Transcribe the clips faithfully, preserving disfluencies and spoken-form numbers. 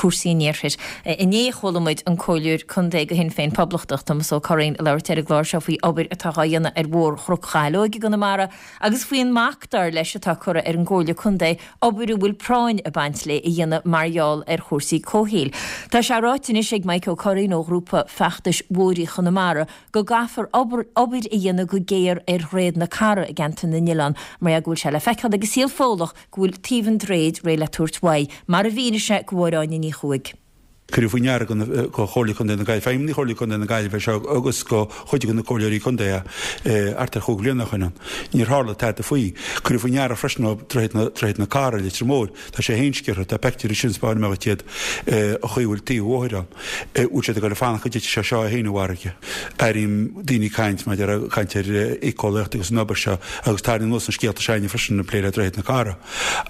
cúrsaí an iarthair. Inné chuala muid an Comhairleoir Contae do Shinn Féin Poblachtach Tomás Ó Curraoin ag labhairt ar an gclár seo faoi obair atá á dhéanamh ar Bhóthar Chnoc Chaileoig i gConamara agus faoin mbac dar leis atá curtha ar an gComhairle Contae obair a bhfuil práinn ag baint léi a dhéanamh mar gheall ar chúrsaí comhshaoil. Tá sé ráite anois ag Mike Ó Curraoin ó ghrúpa feachtais Bhóithre Chonamara go gcaithfear obair obair a dhéanamh go géar ar Dhroichead na Cara i gceantar na nOileán mar go bhfuil sé le feiceáil agus saol fónach go bhfuil taobh an droichid réidh le tabhairt uaidh, mar a mhínigh sé do Mháire Áine Ní Chuaig. Cuireadh faoi ndeara go Chomhairle Contae na Gaillimhe, feidhmeannaigh Chomhairle Contae na Gaillimhe seo agus go chuid de na comhairleoirí contae thart ar chúig bhliana ó shin ann. Níor tharla tada faoi. Cuireadh faoi ndeara freisin ó Droichead na Cara, Leitir Móir. Tá sé féin sciorrtha, tá peictiúirí sin spáin amach iad a chaoi bhfuil taobh an bhóthair ann. Bhfuil siad ag dul ag fanacht go dtitfidh sé seo é féin i bhfarraige. Airím daoine ag caint maidir le caint ar éiceolaíocht agus an obair seo agus tarraing anuas na scéalta seo freisin ag plé le Droichead na Cara.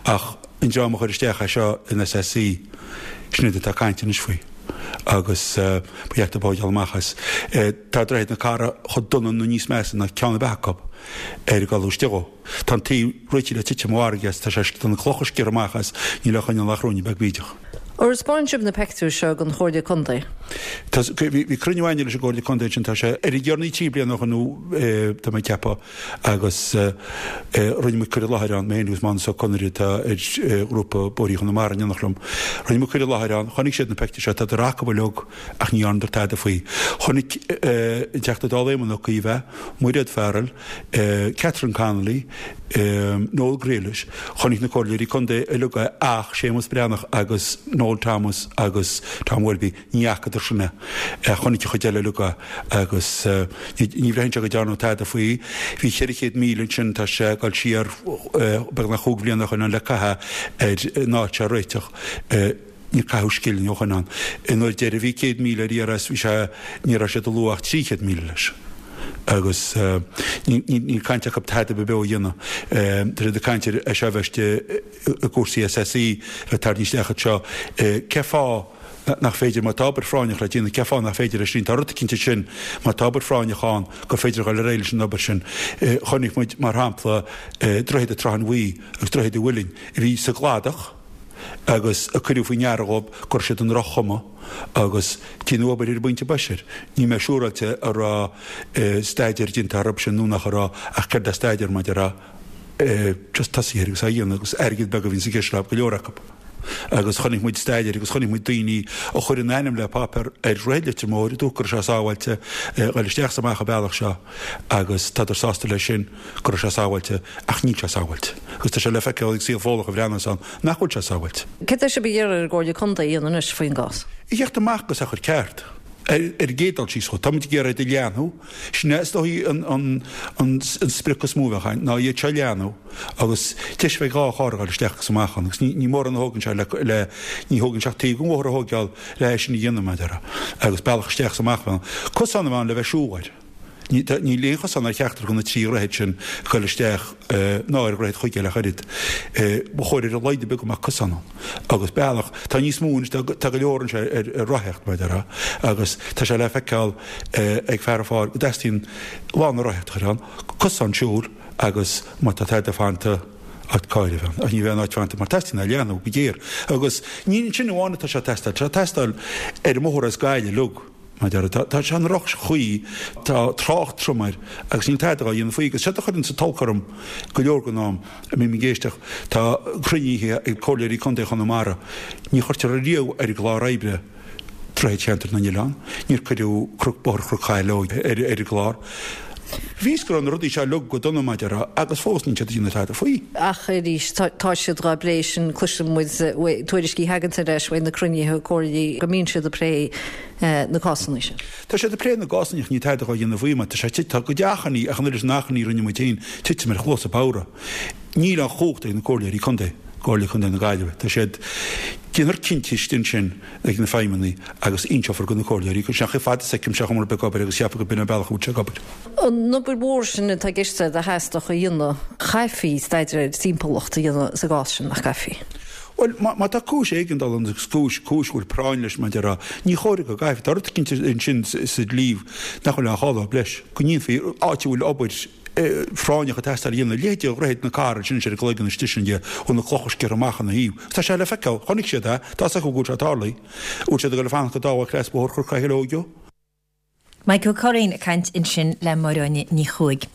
Ach an dream a chuir isteach é seo in S S C, sin iad atá ag caint anois faoi agus ba cheart dóibh dul amach as. Tá Droichead na Cara chomh dona nó níos measa ná ceann ar bith acu ar ag dul istigh dhó. Tá an taobh réitithe le titim i bhfarraige as, tá sé tá na clocha sciorrtha amach as, níl á choinneáil ach ruainne beag bídeach. Ar thaispeáin sibh na peictiúir seo don Chomhairle Contae? Tá bhí cruinniú againne leis an gComhairle Contae sin tá sé ar a dheireanaí trí bliana ó shin nó tá mé ag ceapadh agus rinne muid cur i láthair ann, mé féin agus Mánas Ó Conaire atá ar ghrúpa Bóithre Chonamara in éineacht liom. Rinne muid cur i láthair ann, chonaic siad na peictiúir seo, tá acu uilig ach ní dhearnadar tada faoi. Chonaic an Teachta Dála Éamon Ó Cuív é, Mairéad Farrell, Catherine Connolly, Noel Grealish, chonaic na comhairleoirí contae uilig é ach Séamus Breathnach agus Noel Thomas agus Tom Welby ní fhacadar sin é. Chonaic an chuid eile uilig é agus ní bhraitheann sé go ndearnadh tada faoi. Bhí ceithre chéad míle ansin tá sé ag dul siar beagnach chúig bhliana ó shin le caitheamh ar an áit seo a réiteach. Níor caitheadh scilling ó shin ann. Nuair deireadh bhí céad míle ar iarraidh bhí sé ní raibh siad ag lua ach trí chéad míle leis. Agus níl caint acu tada beo a dhéanamh. Tá siad ag caint ar é seo a bheith i gcúrsaí S S C le tarraingt isteach anseo. Cé fáth nach féidir má tá obair phráinneach le déanamh, cé fáth nach féidir leis sin, tá rud cinnte sin má tá obair phráinneach ann gur féidir dul ar aghaidh leis an obair sin. Chonaic muid mar shampla Droichead Trá an Bhuí agus Droichead an Mhuilinn a bhí sa gcladach agus a cuireadh faoi ndeara dhóibh go raibh siad i ndroch-chuma agus déanadh obair ar an bpointe boise air. Níl mé siúráilte an raibh staidéar déanta orthu sin nó nach raibh ach céard é staidéar mar a déarfá just tosaithe air agus á dhéanamh agus airgead beag a bhíonn i gceist le go leor acu. Agus chonaic muid staidéir agus chonaic muid daoine a chuir a n-ainm le páipéar ar Dhroichead Leitir Móir a dúirt go raibh sé sábháilte dhul isteach is amach an bealach seo agus tádar sásta leis sin go raibh sé sábháilte ach níl sé sábháilte. Agus tá sé le feiceáil ag saol Fódlach a bhreathnas ann nach bhfuil sé sábháilte. Cé sibh ag iarraidh ar an gComhairle Contae a dhéanamh anois faoin gcás? I gceart amach agus a chur ceart. Ar ar an gcéad dul síos chomh táimid ag iarraidh a leathnú, sin é is dóigh an an an an sprioc is mó a bheadh againn ná iad seo a leathnú agus deis bheidh dhá charr a dhul isteach agus amach ann agus ní ní mórán a thógann sé le le ní thógann sé ach taobh den bhóthar a thógáil le é sin a dhéanamh mar a déarfá agus bealach isteach is amach ann. Cosán a bheith ann le bheith siúl air. Ní níl aon chosán ar cheachtar de na trí dhroichead sin ag dul isteach ná ar dhroichead Chuigéil ach oiread. Ba chóir ar a laghad beag go mbeadh cosán ann agus bealach tá níos mó anois tá go leor anseo ar ar rothaíocht mar a déarfá agus tá sé le feiceáil ag fear an pháir go dteastaíonn lána rothaíochta a chur ann, cosán siúil agus má tá tada fanta áit cairr a bheith ann ach ní bheidh an áit fanta mar teastaíonn é a leathnú go géar agus ní ansin amháin atá sé ag teastáil, tá sé ag teastáil ar an mbóthar as Gaillimh uilig. Mar a déarfá, tá sé i ndroch-chaoi, tá trácht trom air agus níl tada á dhéanamh faoi. Agus séard a chuireann sa tolg orm go leor den am a mbím ag éisteacht, tá cruinnithe ag comhairleoirí contae Chonamara, ní chuirtear ariamh ar an gclár oibre Droichead Cheantar na nOileán, níor cuireadh Cnoc Bóthar Chnoc Chaileoig ar ar an gclár. Bhí fhios go raibh na rudaí seo uilig go dona mar a déarfá agus fós níl siad ag déanamh tada faoi. Ach arís, tá siad dhá bplé sin, cloiseann muid tuairiscí a thagann ar ais uaidh na cruinnithe comhairle go mbíonn siad ag plé na cásanna sin. Tá siad ag plé na gcásanna ach níl tada dhá dhéanamh faoi mar tá sé tá go deachainí ach an oiread sin achainí a rinne muid féin titim ar chluasa bodhra. Níl an chumhacht ag na comhairleoirí contae, Comhairle Contae na Gaillimhe. Tá siad, déanfar cinntí istigh ansin ag na feidhmeannaigh agus inseofar do na comhairleoirí go seach fad is feicimse an iomarca ag obair agus cheapfá go b'in an bealach a bhfuil sé ag obair. An obair mhór sin atá i gceist a theastódh a dhéanamh, chaithfí staidéar ar timpeallacht a dhéanamh sa gcás sin, nach gcaithfí? Bhuel, má, má tá cúis éigeandála ann agus cúis, cúis go bhfuil práinn leis mar a déarfá, ní chóir go gcaithfí. Tá rud eicínt ansin sa dlí nach bhfuil aon chall leis, go ndéanfaí áit a bhfuil obair phráinneach ag teastáil a dhéanamh, leithéidí Dhroichead na Cathrach ansin ar an gcloigeann istigh sin de, bhfuil na clocha sciorrtha amach ina thaobh. Tá sé le feiceáil, chonaic siad é, tá 's acu go bhfuil sé tarlaithe. Bhfuil siad ag dul ag fanacht go dtarlóidh cleas bóthair Chnoc Sheileoige? Mike Ó Curraoin ag caint ansin le Máire Áine Ní Chuaig.